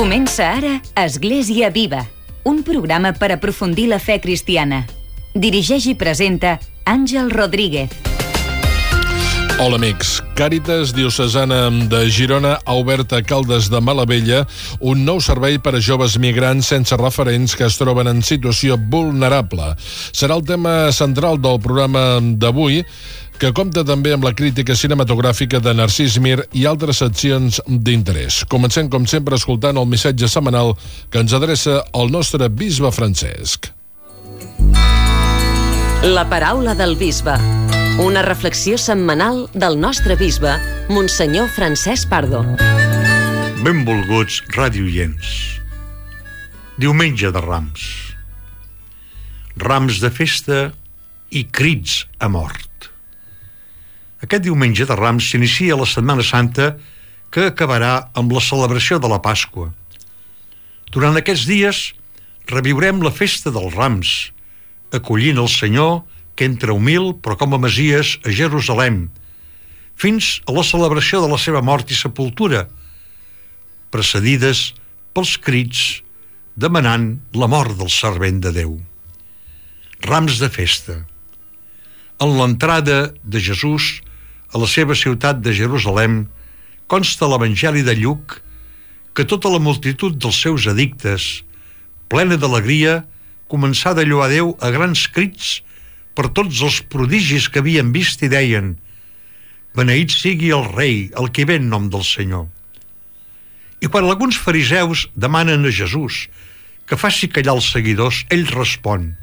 Comença ara Església Viva, un programa per aprofundir la fe cristiana. Dirigeix i presenta Àngel Rodríguez. Hola amics, Càritas Diocesana de Girona ha obert a Caldes de Malavella un nou servei per a joves migrants sense referents que es troben en situació vulnerable. Serà el tema central del programa d'avui, que compta també amb la crítica cinematogràfica de Narcís Mir i altres seccions d'interès. Comencem, com sempre, escoltant el missatge setmanal que ens adreça el nostre bisbe Francesc. La paraula del bisbe. Una reflexió setmanal del nostre bisbe, Monsenyor Francesc Pardo. Benvolguts radioients. Diumenge de Rams. Rams de festa i crits a mort. Aquest diumenge de Rams s'inicia la Setmana Santa, que acabarà amb la celebració de la Pasqua. Durant aquests dies reviurem la festa dels Rams, acollint el Senyor que entra humil però com a Messies a Jerusalem, fins a la celebració de la seva mort i sepultura, precedides pels crits demanant la mort del servent de Déu. Rams de festa. En l'entrada de Jesús a la seva ciutat de Jerusalem consta a l'Evangeli de Lluc que tota la multitud dels seus addictes, plena d'alegria, començà a lloar Déu a grans crits per tots els prodigis que havien vist i deien: beneït sigui el rei, el que ve en nom del Senyor. I quan alguns fariseus demanen a Jesús que faci callar els seguidors, ell respon: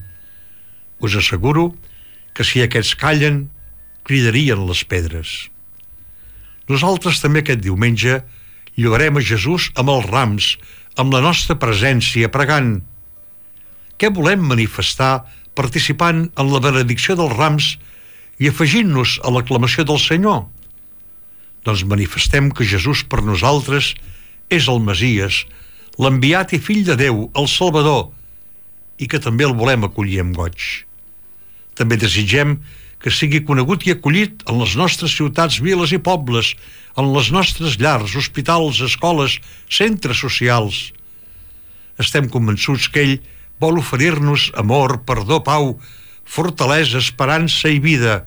us asseguro que si aquests callen, cridarien les pedres. Nosaltres també aquest diumenge lloarem a Jesús amb els rams, amb la nostra presència, pregant. Què volem manifestar participant en la benedicció dels rams i afegint-nos a l'aclamació del Senyor? Doncs manifestem que Jesús per nosaltres és el Messies, l'enviat i fill de Déu, el Salvador, i que també el volem acollir amb goig. També desitgem que sigui conegut i acollit en les nostres ciutats, viles i pobles, en les nostres llars, hospitals, escoles, centres socials. Estem convençuts que ell vol oferir-nos amor, perdó, pau, fortalesa, esperança i vida.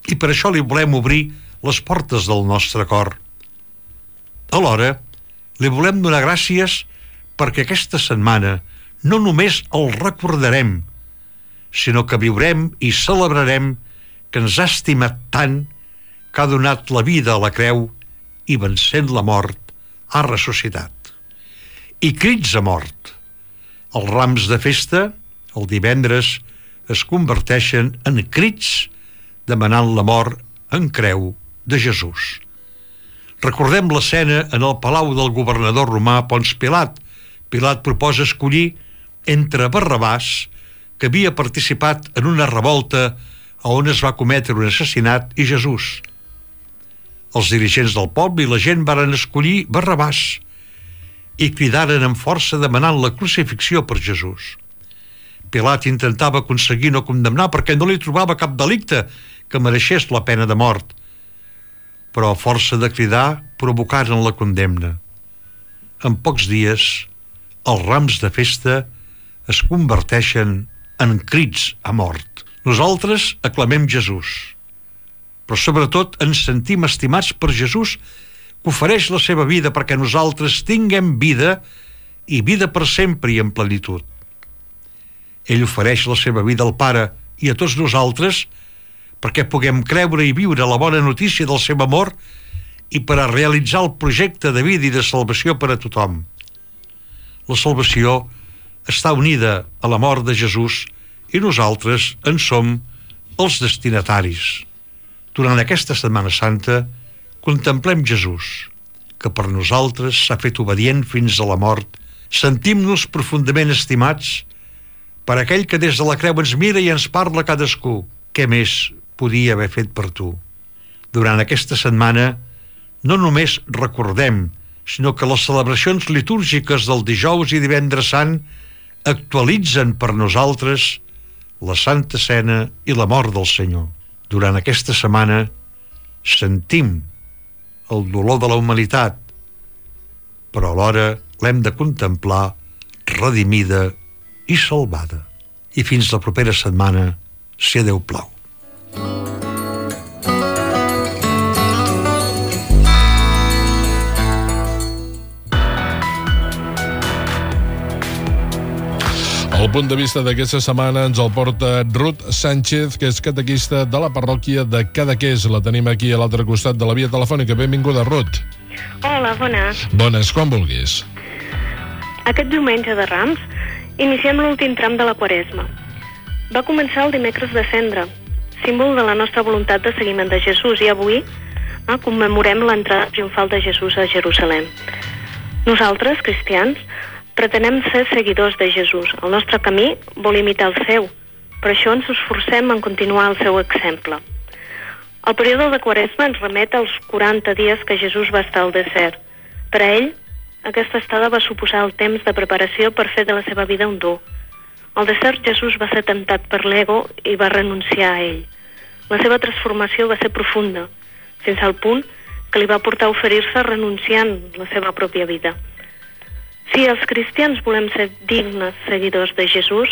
I per això li volem obrir les portes del nostre cor. Alhora, li volem donar gràcies perquè aquesta setmana no només el recordarem, sinó que viurem i celebrarem que ens ha estimat tant, que ha donat la vida a la creu i, vencent la mort, ha ressuscitat. I crits a mort. Els rams de festa, el divendres, es converteixen en crits demanant la mort en creu de Jesús. Recordem l'escena en el palau del governador romà Ponç Pilat. Pilat proposa escollir entre Barrabàs, que havia participat en una revolta on es va cometre un assassinat, i Jesús. Els dirigents del poble i la gent varen escollir Barrabàs i cridaren amb força demanant la crucifixió per Jesús. Pilat intentava aconseguir no condemnar perquè no li trobava cap delicte que mereixés la pena de mort, però a força de cridar provocaren la condemna. En pocs dies, els rams de festa es converteixen en crits a mort. Nosaltres aclamem Jesús, però sobretot ens sentim estimats per Jesús, que ofereix la seva vida perquè nosaltres tinguem vida i vida per sempre i en plenitud. Ell ofereix la seva vida al Pare i a tots nosaltres perquè puguem creure i viure la bona notícia del seu amor i per a realitzar el projecte de vida i de salvació per a tothom. La salvació està unida a la mort de Jesús i nosaltres en som els destinataris. Durant aquesta Setmana Santa contemplem Jesús, que per nosaltres s'ha fet obedient fins a la mort. Sentim-nos profundament estimats per aquell que des de la creu ens mira i ens parla cadascú. Què més podia haver fet per tu? Durant aquesta setmana no només recordem, sinó que les celebracions litúrgiques del dijous i divendres sant actualitzen per nosaltres la Santa Cena i la mort del Senyor. Durant aquesta setmana sentim el dolor de la humanitat, però alhora l'hem de contemplar redimida i salvada. I fins la propera setmana, si a Déu plau. El punt de vista d'aquesta setmana ens el porta Ruth Sánchez, que és catequista de la parròquia de Cadaqués. La tenim aquí a l'altre costat de la via telefònica. Benvinguda, Ruth. Hola, bones. Bones, quan vulguis. Aquest diumenge de Rams iniciem l'últim tram de la Quaresma. Va començar el dimecres de Cendra, símbol de la nostra voluntat de seguiment de Jesús, i avui commemorem l'entrada triomfal de Jesús a Jerusalem. Nosaltres, cristians, pretenem ser seguidors de Jesús. El nostre camí vol imitar el seu. Per això ens esforcem en continuar el seu exemple. El període de Quaresma ens remet als 40 dies que Jesús va estar al desert. Per a ell, aquesta estada va suposar el temps de preparació per fer de la seva vida un dur. Al desert, Jesús va ser temptat per l'ego i va renunciar a ell. La seva transformació va ser profunda, fins al punt que li va portar a oferir-se renunciant la seva pròpia vida. Si els cristians volem ser dignes seguidors de Jesús,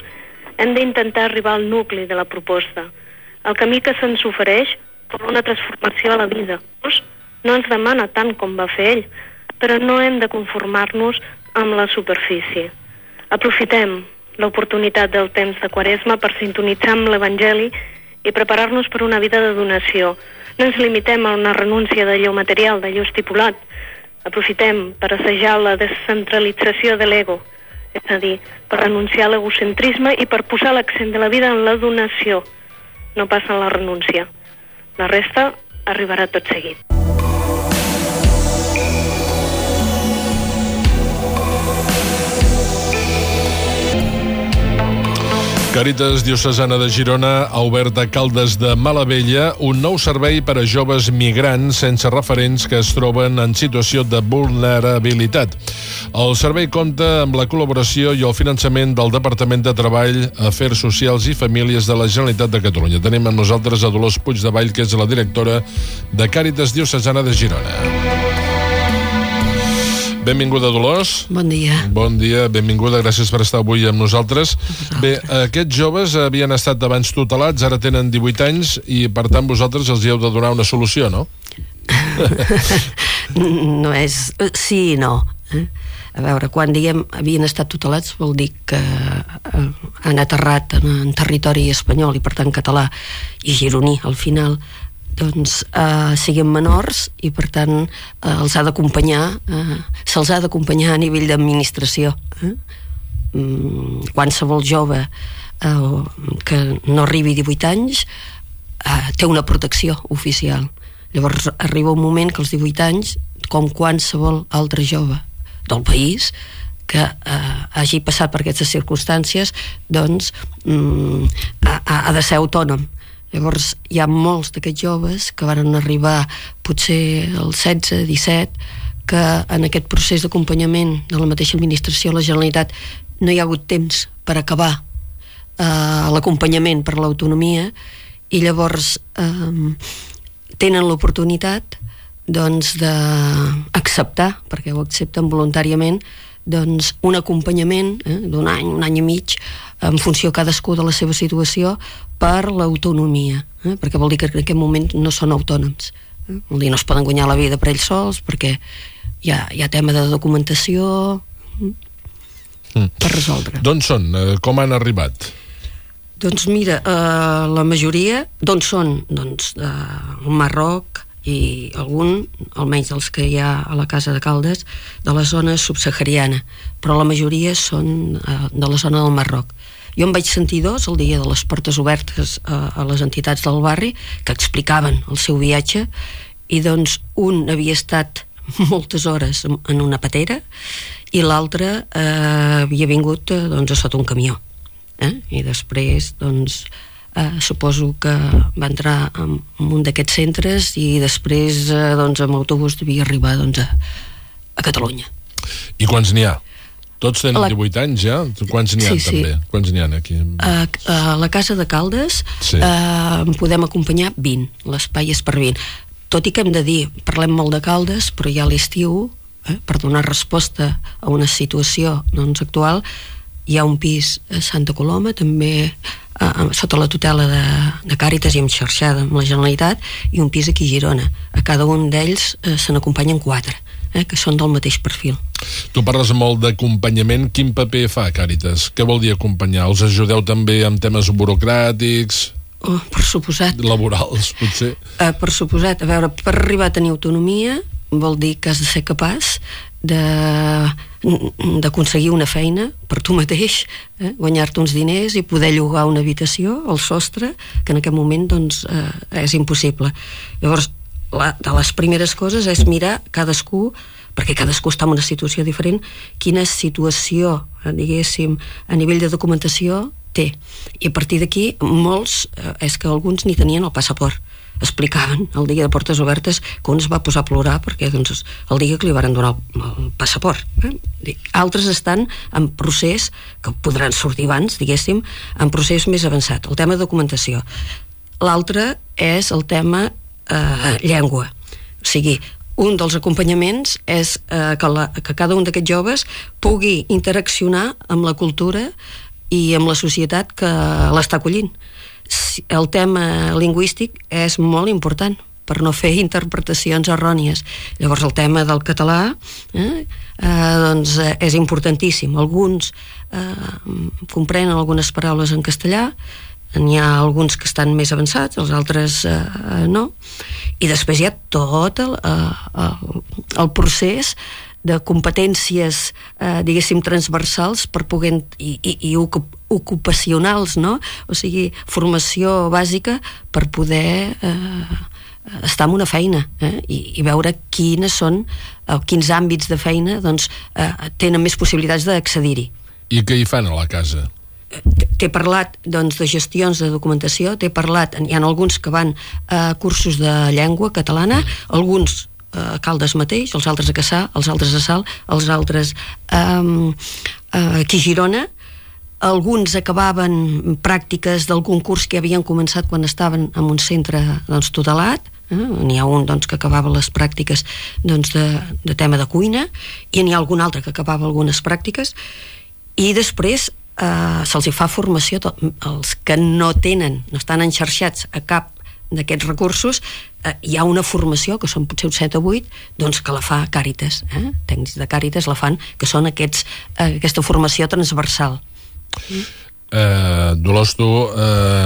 hem d'intentar arribar al nucli de la proposta. El camí que se'ns ofereix per una transformació a la vida. No ens demana tant com va fer ell, però no hem de conformar-nos amb la superfície. Aprofitem l'oportunitat del temps de Quaresma per sintonitzar amb l'Evangeli i preparar-nos per una vida de donació. No ens limitem a una renúncia d'allò material, d'allò estipulat. Aprofitem per assajar la descentralització de l'ego, és a dir, per renunciar a l'egocentrisme i per posar l'accent de la vida en la donació, no pas en la renúncia. La resta arribarà tot seguit. Càritas Diocesana de Girona ha obert a Caldes de Malavella un nou servei per a joves migrants sense referents que es troben en situació de vulnerabilitat. El servei compta amb la col·laboració i el finançament del Departament de Treball, Afers Socials i Famílies de la Generalitat de Catalunya. Tenim amb nosaltres a Dolors Puigdevall, que és la directora de Càritas Diocesana de Girona. Benvinguda, Dolors. Bon dia. Bon dia, benvinguda, gràcies per estar avui amb nosaltres. Bé, aquests joves havien estat abans tutelats, ara tenen 18 anys i, per tant, vosaltres els hi heu de donar una solució, no? No és... Sí i no. A veure, quan diguem havien estat tutelats vol dir que han aterrat en territori espanyol i, per tant, català i gironí, al final, doncs siguin menors i per tant els ha d'acompanyar, se'ls ha d'acompanyar a nivell d'administració. Qualsevol jove que no arribi a 18 anys té una protecció oficial. Llavors arriba un moment que als 18 anys, com qualsevol altre jove del país que hagi passat per aquestes circumstàncies, doncs ha de ser autònom. Llavors hi ha molts d'aquests joves que van arribar potser als 16, 17, que en aquest procés d'acompanyament de la mateixa administració, la Generalitat, no hi ha hagut temps per acabar l'acompanyament per l'autonomia i llavors tenen l'oportunitat doncs d'acceptar, perquè ho accepten voluntàriament, doncs un acompanyament d'un any, un any i mig, en funció cadascú de la seva situació, per l'autonomia, perquè vol dir que en aquest moment no són autònoms. Vol dir, no es poden guanyar la vida per ells sols, perquè hi ha tema de documentació per resoldre. D'on són? Com han arribat? Doncs mira, la majoria d'on són? Doncs del Marroc i algun, almenys dels que hi ha a la Casa de Caldes, de la zona subsahariana, però la majoria són de la zona del Marroc. Jo em vaig sentir dos el dia de les portes obertes a les entitats del barri que explicaven el seu viatge i doncs un havia estat moltes hores en una patera i l'altre havia vingut doncs, a sota un camió. I després doncs, suposo que va entrar en un d'aquests centres i després doncs, amb autobús devia arribar doncs, a Catalunya. I quants n'hi ha? Tots tenen 18 anys ja? Quants n'hi ha també? Quants n'hi ha aquí? A la Casa de Caldes en podem acompanyar 20, l'espai és per 20. Tot i que hem de dir, parlem molt de Caldes, però ja a l'estiu per donar resposta a una situació actual. Hi ha un pis a Santa Coloma, també sota la tutela de Càritas i xarxada amb la Generalitat, i un pis aquí a Girona. A cada un d'ells se n'acompanyen 4, que són del mateix perfil. Tu parles molt d'acompanyament. Quin paper fa Càritas? Què vol dir acompanyar? Els ajudeu també amb temes burocràtics? Per suposat. Laborals, potser? Per suposat. A veure, per arribar a tenir autonomia vol dir que has de ser capaç d'aconseguir una feina per tu mateix, guanyar-te uns diners i poder llogar una habitació al sostre, que en aquest moment és impossible. Llavors, de les primeres coses és mirar cadascú, perquè cadascú està en una situació diferent, quina situació, diguéssim, a nivell de documentació té. I a partir d'aquí, molts, és que alguns ni tenien el passaport. Explicaven el dia de Portes Obertes que un es va posar a plorar perquè el dia que li van donar el passaport. Altres estan en procés, que podran sortir abans, diguéssim, en procés més avançat, el tema de documentació. L'altre és el tema llengua. O sigui, un dels acompanyaments és que cada un d'aquests joves pugui interaccionar amb la cultura i amb la societat que l'està acollint. El tema lingüístic és molt important per no fer interpretacions errònies. Llavors el tema del català és importantíssim. Alguns comprenen algunes paraules en castellà, n'hi ha alguns que estan més avançats, els altres no, i després hi ha tot el procés de competències, diguéssim, transversals per poder, i ocupacionals, no? O sigui, formació bàsica per poder estar en una feina i veure quins àmbits de feina tenen més possibilitats d'accedir-hi. I què hi fan a la casa? T'he parlat de gestions de documentació, hi ha alguns que van a cursos de llengua catalana, alguns a Caldes mateix, els altres a Cassà, els altres a Salt, els altres aquí a Girona. Alguns acabaven pràctiques d'algun curs que havien començat quan estaven en un centre tutelat. N'hi ha un que acabava les pràctiques de tema de cuina, i n'hi ha algun altre que acabava algunes pràctiques, i després se'ls fa formació. Els que no estan enxarxats a cap d'aquests recursos, hi ha una formació, que són potser 7 o 8, que la fa Càritas. Tècnics de Càritas la fan, que són aquesta formació transversal. Dolors, tu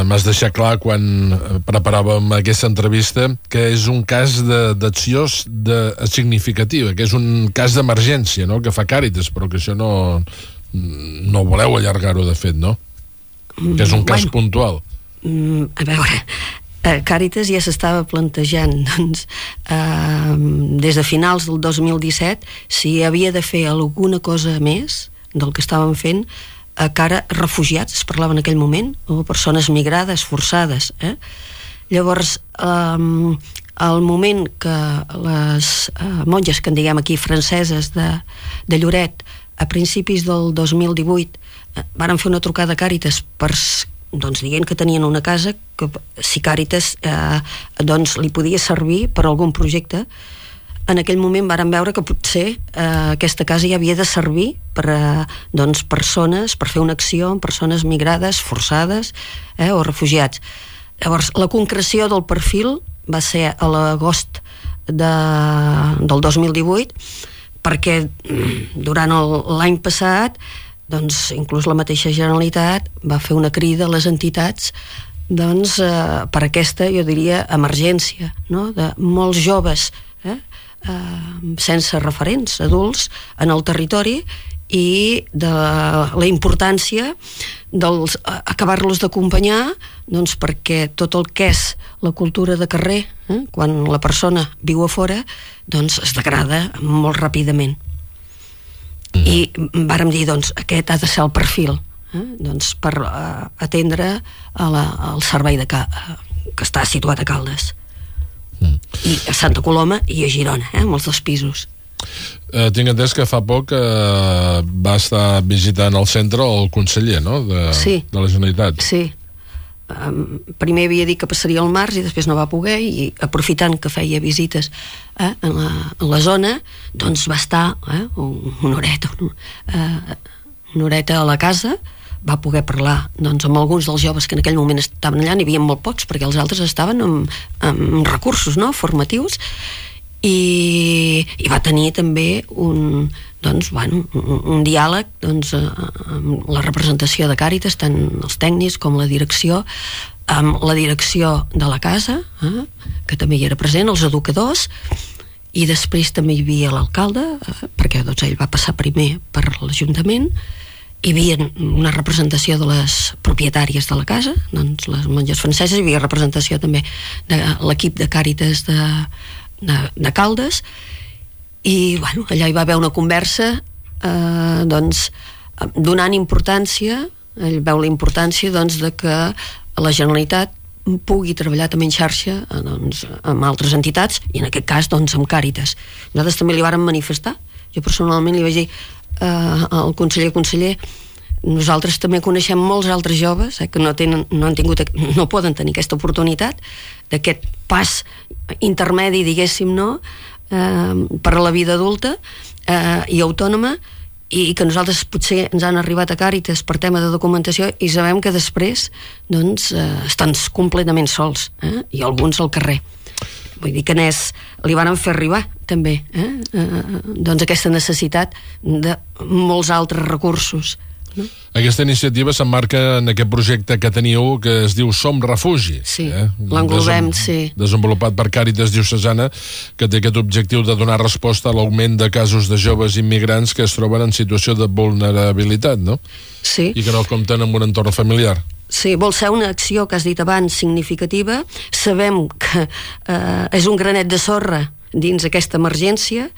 m'has deixat clar quan preparàvem aquesta entrevista que és un cas d'acció significativa, que és un cas d'emergència, no?, que fa Càritas, però que això no voleu allargar-ho, de fet, no? Que és un cas puntual. A veure, Càritas ja s'estava plantejant des de finals del 2017 si havia de fer alguna cosa més del que estàvem fent a cara refugiats, es parlava en aquell moment, o persones migrades, forçades. Llavors, al moment que les monges, que en diguem aquí franceses, de Lloret, a principis del 2018 varen fer una trucada a Càritas dient que tenien una casa que si Càritas li podia servir per algun projecte. En aquell moment varen veure que potser aquesta casa ja havia de servir per persones, per fer una acció amb persones migrades, forçades o refugiats. Llavors, la concreció del perfil va ser a l'agost del 2018, perquè durant l'any passat inclús la mateixa Generalitat va fer una crida a les entitats per aquesta, jo diria, emergència, no?, de molts joves sense referents adults en el territori, i de la importància acabar-los d'acompanyar, perquè tot el que és la cultura de carrer, quan la persona viu a fora, es degrada molt ràpidament. I vàrem dir, aquest ha de ser el perfil per atendre el servei que està situat a Caldes, i a Santa Coloma i a Girona, amb els 2 pisos. Tinc entès que fa poc va estar visitant el centre el conseller, no?, de la Generalitat. Sí, primer havia dit que passaria al març i després no va poder, i aprofitant que feia visites en la zona, doncs va estar una horeta a la casa, va poder parlar doncs, amb alguns dels joves que en aquell moment estaven allà. N'hi havia molt pocs perquè els altres estaven amb recursos, no?, formatius, i va tenir també un diàleg amb la representació de Càritas, tant els tècnics com la direcció, amb la direcció de la casa, que també hi era present, els educadors, i després també hi havia l'alcalde, perquè doncs, ell va passar primer per l'Ajuntament. Hi havia una representació de les propietàries de la casa, doncs les monges franceses, hi havia representació també de l'equip de Càritas de Caldes, i bueno, allà hi va haver una conversa donant importància, ell veu la importància de que la Generalitat pugui treballar també en xarxa amb altres entitats, i en aquest cas amb Càritas. Nosaltres també li vàrem manifestar, jo personalment li vaig dir al conseller, nosaltres també coneixem molts altres joves que no poden tenir aquesta oportunitat d'aquest pas intermedi, diguéssim, no?, per a la vida adulta i autònoma, i que nosaltres potser ens han arribat a Càritas per tema de documentació i sabem que després estan completament sols, i alguns al carrer. Vull dir que li van fer arribar també aquesta necessitat de molts altres recursos, no? Aquesta iniciativa s'emmarca en aquest projecte que teniu, que es diu Som Refugi. Sí, l'englobem, sí. Desenvolupat per Càritas Diocesana, que té aquest objectiu de donar resposta a l'augment de casos de joves immigrants que es troben en situació de vulnerabilitat, no? Sí. I que no compten amb un entorn familiar. Sí, vol ser una acció, que has dit abans, significativa. Sabem que és un granet de sorra dins aquesta emergència,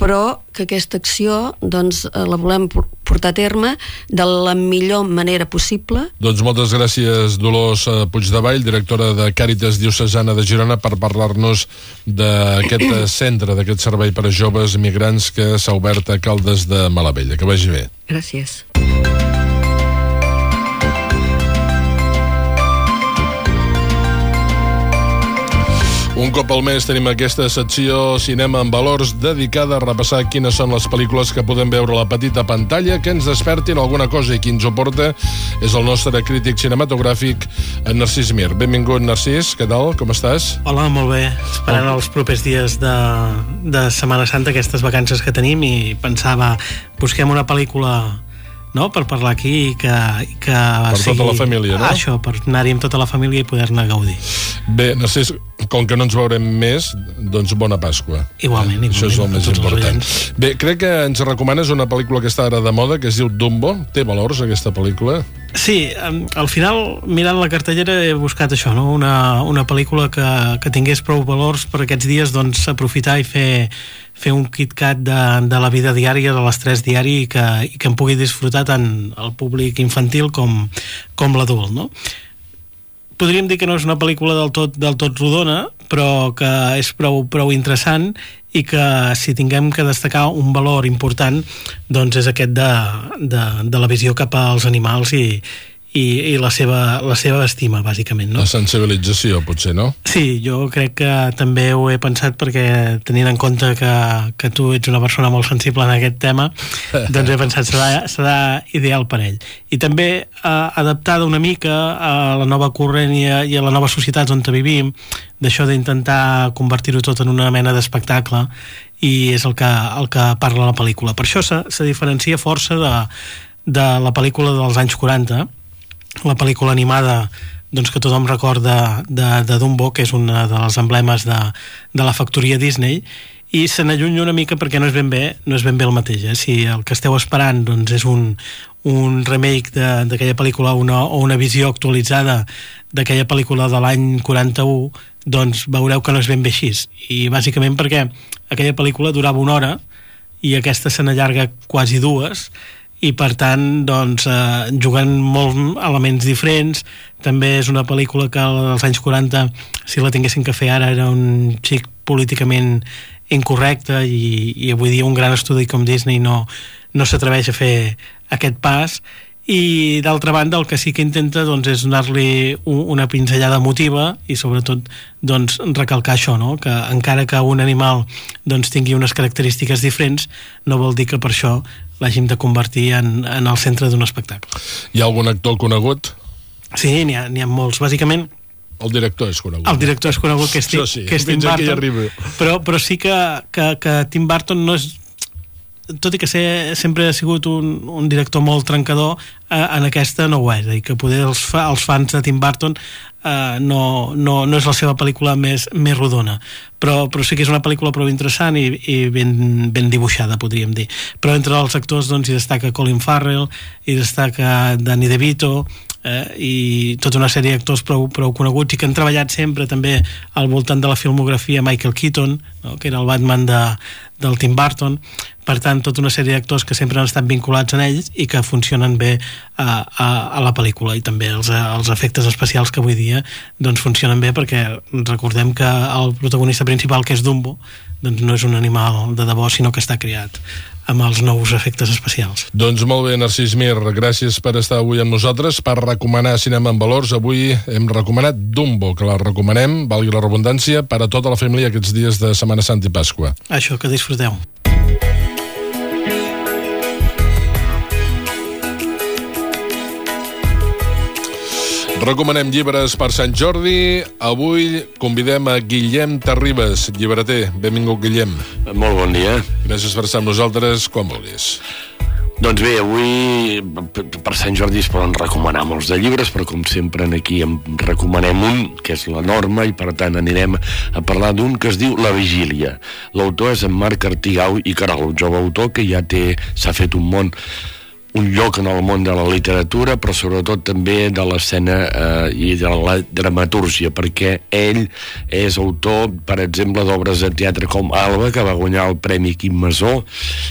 però que aquesta acció la volem portar a terme de la millor manera possible. Doncs moltes gràcies, Dolors Puigdevall, directora de Càritas Diocesana de Girona, per parlar-nos d'aquest centre, d'aquest servei per a joves migrants que s'ha obert a Caldes de Malavella. Que vagi bé. Gràcies. Un cop al mes tenim aquesta secció Cinema en Valors, dedicada a repassar quines són les pel·lícules que podem veure a la petita pantalla, que ens despertin alguna cosa, i qui ens ho porta és el nostre crític cinematogràfic, en Narcís Mir. Benvingut, Narcís, què tal? Com estàs? Hola, molt bé. Esperant els propers dies de Setmana Santa, aquestes vacances que tenim, i pensava, busquem una pel·lícula, no?, per parlar aquí, que per sigui tota la família, no? Això, per anar-hi amb tota la família i poder-ne gaudir. Bé, Narcís, com que no ens veurem més, doncs bona Pasqua. Igualment. Això és el més important. Bé, crec que ens recomanes una pel·lícula que està ara de moda, que es diu Dumbo. Té valors, aquesta pel·lícula? Sí, al final, mirant la cartellera, he buscat això, no?, una pel·lícula que tingués prou valors per aquests dies, doncs aprofitar i fer un KitKat de la vida diària, de l'estrès diari, i que en pugui disfrutar tant el públic infantil com l'adult, no? Podríem dir que no és una pel·lícula del tot rodona, però que és prou interessant, i que si tinguem que destacar un valor important, doncs és aquest de la visió cap als animals i la seva estima, bàsicament, no? La sensibilització, potser, no? Sí, jo crec que també ho he pensat, perquè tenint en compte que tu ets una persona molt sensible en aquest tema, doncs he pensat serà ideal per ell. I també adaptada una mica a la nova corrent i a la nova societat on vivim, d'això d'intentar convertir-ho tot en una mena d'espectacle, i és el que parla la pel·lícula. Per això se diferencia força de la pel·lícula dels anys 40, la pel·lícula animada, doncs, que tothom recorda de Dumbo, que és un dels emblemes de la factoria Disney, i se n'allunya una mica perquè no és ben bé el mateix. Si el que esteu esperant, doncs, és un remake d'aquella pel·lícula o una visió actualitzada d'aquella pel·lícula de l'any 41, doncs veureu que no és ben bé així. I bàsicament perquè aquella pel·lícula durava 1 hora i aquesta se n'allarga quasi 2, i per tant, doncs, jugant molts elements diferents. També és una pel·lícula que als anys 40, si la tinguessin que fer ara, era un xic políticament incorrecte, i avui dia un gran estudi com Disney no s'atreveix a fer aquest pas, i d'altra banda el que sí que intenta doncs, és donar-li una pinzellada emotiva i sobretot doncs, recalcar això, no? Que encara que un animal doncs, tingui unes característiques diferents, no vol dir que per això l'hàgim de convertir en el centre d'un espectacle. Hi ha algun actor conegut? Sí, n'hi ha molts. Bàsicament, el director és conegut. El director és conegut, que és, sí, que és Tim Burton. Però sí que Tim Burton no és... Tot i que sempre ha sigut un director molt trencador, en aquesta no ho és. És a dir, que poder els fans de Tim Burton no és la seva pel·lícula més rodona. Però sí que és una pel·lícula prou interessant i ben dibuixada, podríem dir. Però entre els actors doncs, hi destaca Colin Farrell, hi destaca Danny DeVito, i tota una sèrie d'actors prou coneguts i que han treballat sempre també al voltant de la filmografia Michael Keaton, no? Que era el Batman del Tim Burton. Per tant, tota una sèrie d'actors que sempre han estat vinculats en ells i que funcionen bé a la pel·lícula, i també els efectes especials que avui dia doncs, funcionen bé, perquè recordem que el protagonista principal, que és Dumbo, doncs no és un animal de debò, sinó que està creat amb els nous efectes especials. Doncs molt bé, Narcís Mir, gràcies per estar avui amb nosaltres, per recomanar Cinema en Valors. Avui hem recomanat Dumbo, que la recomanem, valgui la redundància, per a tota la família aquests dies de Setmana Santa i Pasqua. Això, que disfruteu. Recomanem llibres per Sant Jordi. Avui convidem a Guillem Terribas, llibreter. Benvingut, Guillem. Molt bon dia. Gràcies per estar amb nosaltres, quan vulguis. Doncs bé, avui per Sant Jordi es poden recomanar molts de llibres, però com sempre aquí en recomanem un, que és la norma, i per tant anirem a parlar d'un que es diu La Vigília. L'autor és en Marc Artigau i Queralt, un jove autor que ja s'ha fet un lloc en el món de la literatura, però sobretot també de l'escena i de la dramatúrgia, perquè ell és autor, per exemple, d'obres de teatre com Alba, que va guanyar el Premi Quim Masó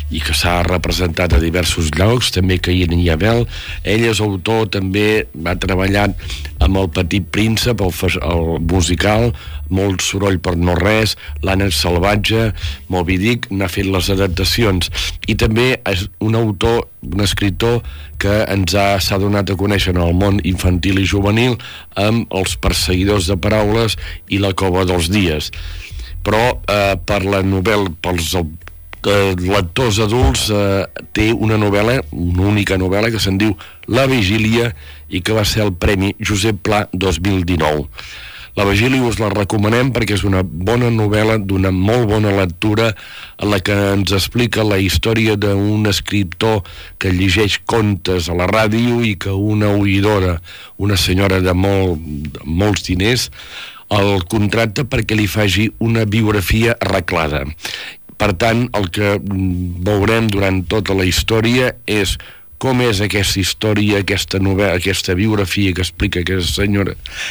i que s'ha representat a diversos llocs, també Caín i Abel. Ell és autor, també va treballar amb El Petit Príncep, el musical, Molt soroll per no res, L'ànec salvatge, Moby Dick, n'ha fet les adaptacions, i també és un autor, un escriptor que s'ha donat a conèixer en el món infantil i juvenil amb Els perseguidors de paraules i La cova dels dies. Però per la novel·la, pels lectors adults, té una novel·la, una única novel·la, que se'n diu La Vigília, i que va ser el Premi Josep Pla 2019. La Vigília us la recomanem perquè és una bona novel·la, d'una molt bona lectura, en la que ens explica la història d'un escriptor que llegeix contes a la ràdio i que una oïdora, una senyora de molts diners, el contracta perquè li faci una biografia arreglada. Per tant, el que veurem durant tota la història és com és aquesta història, aquesta novel·la, aquesta biografia que explica aquesta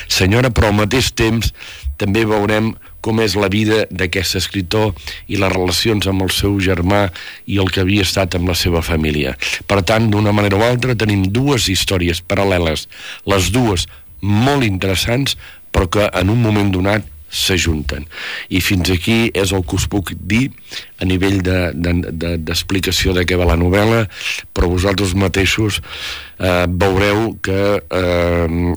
senyora, però al mateix temps també veurem com és la vida d'aquest escriptor i les relacions amb el seu germà i el que havia estat amb la seva família. Per tant, d'una manera o altra, tenim dues històries paral·leles, les dues molt interessants, però que en un moment donat s'ajunten. I fins aquí és el que us puc dir a nivell d'explicació de què va la novel·la, però vosaltres mateixos veureu que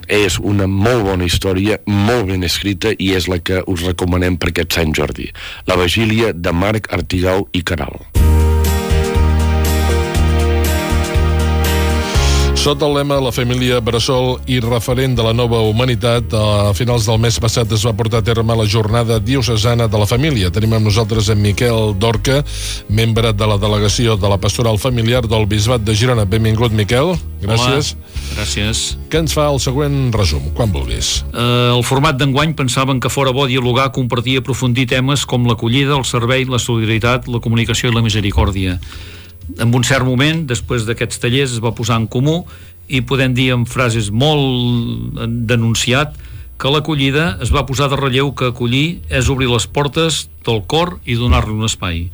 és una molt bona història, molt ben escrita, i és la que us recomanem per aquest Sant Jordi. La Vigília, de Marc Artigau i Queralt. Sota el lema La família bressol i referent de la nova humanitat, a finals del mes passat es va portar a terme la jornada diocesana de la família. Tenim amb nosaltres en Miquel Dorca, membre de la delegació de la Pastoral Familiar del Bisbat de Girona. Benvingut, Miquel. Gràcies. Hola, gràcies. Que ens fa el següent resum, quan vulguis. El format d'enguany pensaven que fora bo dialogar, compartir i aprofundir temes com l'acollida, el servei, la solidaritat, la comunicació i la misericòrdia. En un cert moment, després d'aquests tallers, es va posar en comú i podem dir amb frases molt denunciat que l'acollida es va posar de relleu que acollir és obrir les portes del cor i donar-li un espai.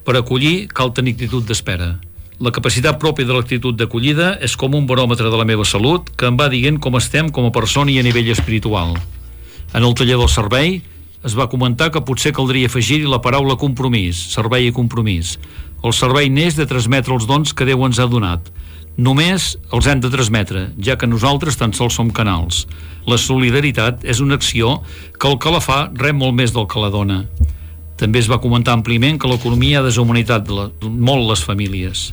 Per acollir cal tenir actitud d'espera. La capacitat pròpia de l'actitud d'acollida és com un baròmetre de la meva salut que em va dient com estem com a persona i a nivell espiritual. En el taller del servei es va comentar que potser caldria afegir-hi la paraula compromís, servei i compromís. El servei neix de transmetre els dons que Déu ens ha donat. Només els hem de transmetre, ja que nosaltres tan sols som canals. La solidaritat és una acció que el que la fa rep molt més del que la dona. També es va comentar àmpliament que l'economia ha deshumanitat molt les famílies.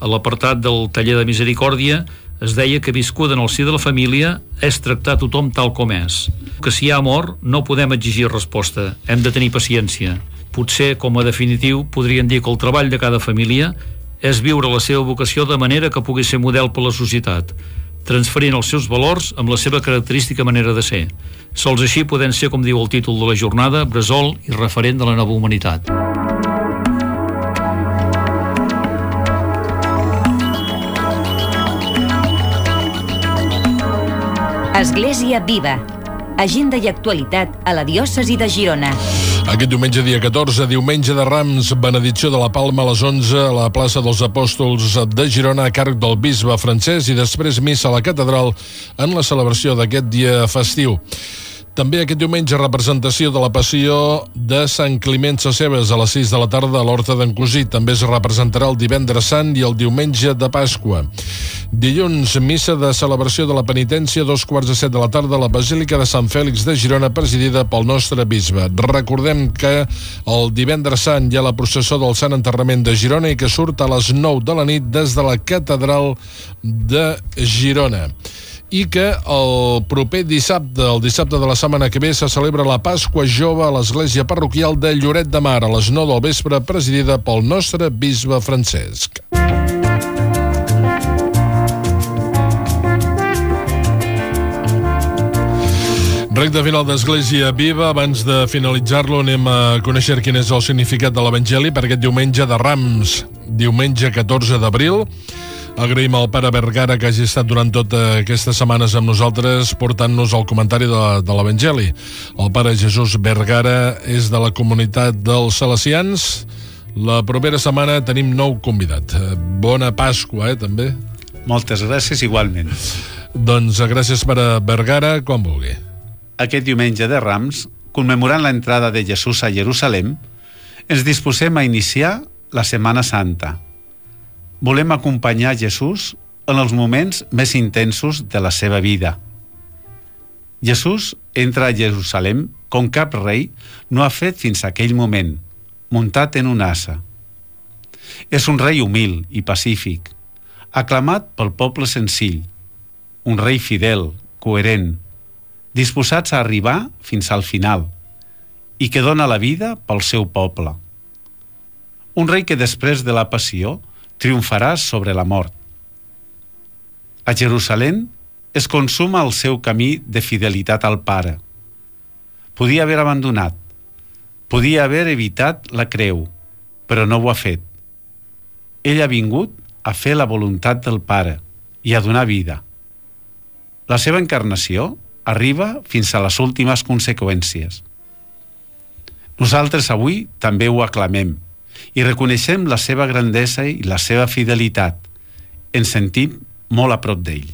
A l'apartat del taller de misericòrdia es deia que viscuda en el si de la família és tractar tothom tal com és. Que si hi ha amor no podem exigir resposta, hem de tenir paciència. Potser, com a definitiu, podrien dir que el treball de cada família és viure la seva vocació de manera que pugui ser model per la societat, transferint els seus valors amb la seva característica manera de ser. Sols així podem ser, com diu el títol de la jornada, bressol i referent de la nova humanitat. Església Viva. Agenda i actualitat a la diòcesi de Girona. Aquest diumenge, dia 14, diumenge de Rams, benedicció de la Palma a les 11 a la plaça dels Apòstols de Girona a càrrec del bisbe Francesc i després missa a la catedral en la celebració d'aquest dia festiu. També aquest diumenge representació de la Passió de Sant Climent Sescebes a les 6 de la tarda a l'Horta d'en Cosí. També es representarà el divendres sant i el diumenge de Pasqua. Dilluns, missa de celebració de la penitència, 2:15 de la tarda a la Basílica de Sant Fèlix de Girona, presidida pel nostre bisbe. Recordem que el divendres sant hi ha la processó del Sant Enterrament de Girona i que surt a les 9 de la nit des de la catedral de Girona. I que el proper dissabte, el dissabte de la setmana que ve, se celebra la Pasqua Jove a l'església parroquial de Lloret de Mar a les 9 del vespre, presidida pel nostre bisbe Francesc. Recte final d'Església Viva. Abans de finalitzar-lo anem a conèixer quin és el significat de l'Evangeli per aquest diumenge de Rams, diumenge 14 d'abril. Agraïm al pare Vergara que hagi estat durant totes aquestes setmanes amb nosaltres portant-nos el comentari de l'Evangeli. El pare Jesús Vergara és de la comunitat dels salesians. La propera setmana tenim nou convidat. Bona Pasqua, també. Moltes gràcies, igualment. Doncs gràcies, pare Vergara, quan vulgui. Aquest diumenge de Rams, commemorant l'entrada de Jesús a Jerusalem, ens disposem a iniciar la Setmana Santa. Volem acompanyar Jesús en els moments més intensos de la seva vida. Jesús entra a Jerusalem com cap rei no ha fet fins a aquell moment, muntat en un ase. És un rei humil i pacífic, aclamat pel poble senzill, un rei fidel, coherent, disposats a arribar fins al final i que dona la vida pel seu poble. Un rei que després de la passió triomfarà sobre la mort. A Jerusalem es consuma el seu camí de fidelitat al Pare. Podia haver abandonat, podia haver evitat la creu, però no ho ha fet. Ell ha vingut a fer la voluntat del Pare i a donar vida. La seva encarnació arriba fins a les últimes conseqüències. Nosaltres avui també ho aclamem i reconeixem la seva grandesa i la seva fidelitat. Ens sentim molt a prop d'ell.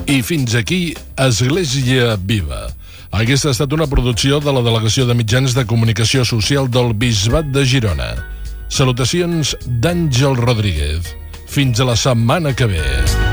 I fins aquí Església Viva. Aquesta ha estat una producció de la Delegació de Mitjans de Comunicació Social del Bisbat de Girona. Salutacions d'Àngel Rodríguez. Fins a la setmana que ve.